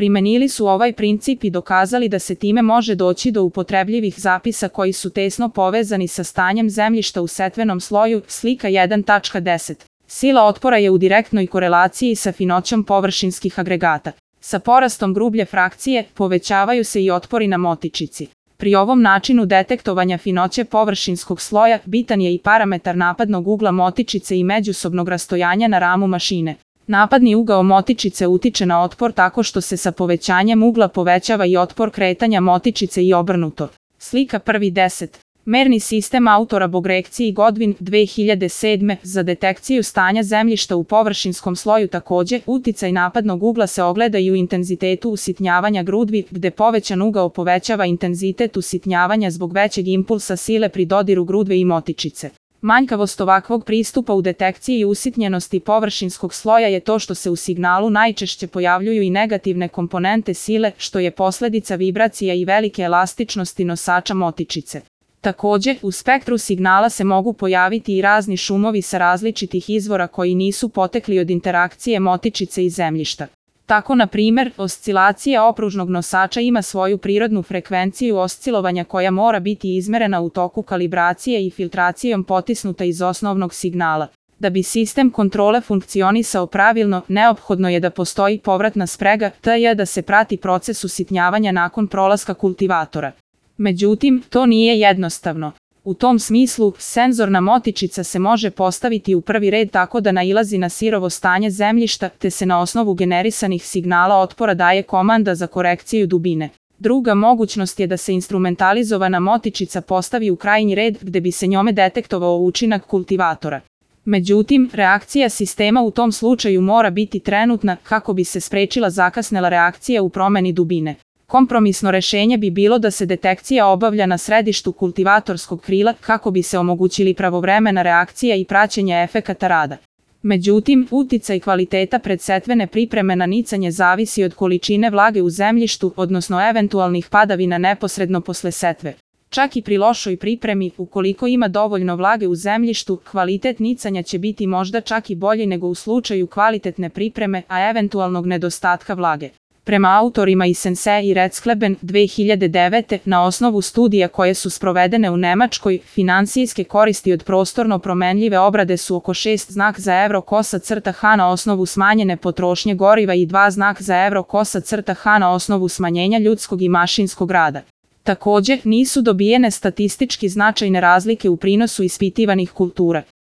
Primenili su ovaj princip i dokazali da se time može doći do upotrebljivih zapisa koji su tesno povezani sa stanjem zemljišta u setvenom sloju, slika 1.10. Sila otpora je u direktnoj korelaciji sa finoćom površinskih agregata. Sa porastom grublje frakcije povećavaju se i otpori na motičici. Pri ovom načinu detektovanja finoće površinskog sloja bitan je i parametar napadnog ugla motičice i međusobnog rastojanja na ramu mašine. Napadni ugao motičice utiče na otpor tako što se sa povećanjem ugla povećava i otpor kretanja motičice i obrnuto. Slika 1.10. Merni sistem autora Bogrekci i Godwin 2007. Za detekciju stanja zemljišta u površinskom sloju takođe, uticaj napadnog ugla se ogleda i u intenzitetu usitnjavanja grudvi, gde povećan ugao povećava intenzitet usitnjavanja zbog većeg impulsa sile pri dodiru grudve i motičice. Manjkavost ovakvog pristupa u detekciji usitnjenosti površinskog sloja je to što se u signalu najčešće pojavljuju i negativne komponente sile, što je posledica vibracija i velike elastičnosti nosača motičice. Takođe, u spektru signala se mogu pojaviti i razni šumovi sa različitih izvora koji nisu potekli od interakcije motičice i zemljišta. Tako, na primer, oscilacija opružnog nosača ima svoju prirodnu frekvenciju oscilovanja koja mora biti izmerena u toku kalibracije i filtracijom potisnuta iz osnovnog signala. Da bi sistem kontrole funkcionisao pravilno, neophodno je da postoji povratna sprega, t.j. da se prati proces usitnjavanja nakon prolaska kultivatora. Međutim, to nije jednostavno. U tom smislu, senzorna motičica se može postaviti u prvi red tako da nailazi na sirovo stanje zemljišta, te se na osnovu generisanih signala otpora daje komanda za korekciju dubine. Druga mogućnost je da se instrumentalizovana motičica postavi u krajnji red gde bi se njome detektovao učinak kultivatora. Međutim, reakcija sistema u tom slučaju mora biti trenutna kako bi se sprečila zakasnela reakcija u promeni dubine. Kompromisno rešenje bi bilo da se detekcija obavlja na središtu kultivatorskog krila kako bi se omogućili pravovremena reakcija i praćenje efekata rada. Međutim, uticaj kvaliteta predsetvene pripreme na nicanje zavisi od količine vlage u zemljištu, odnosno eventualnih padavina neposredno posle setve. Čak i pri lošoj pripremi, ukoliko ima dovoljno vlage u zemljištu, kvalitet nicanja će biti možda čak i bolji nego u slučaju kvalitetne pripreme, a eventualnog nedostatka vlage. Prema autorima iz Sensei i Redskleben 2009. na osnovu studija koje su sprovedene u Nemačkoj, finansijske koristi od prostorno promenljive obrade su oko 6 znak za evro /h na osnovu smanjene potrošnje goriva i 2 znak za evro /h na osnovu smanjenja ljudskog i mašinskog rada. Takođe, nisu dobijene statistički značajne razlike u prinosu ispitivanih kultura.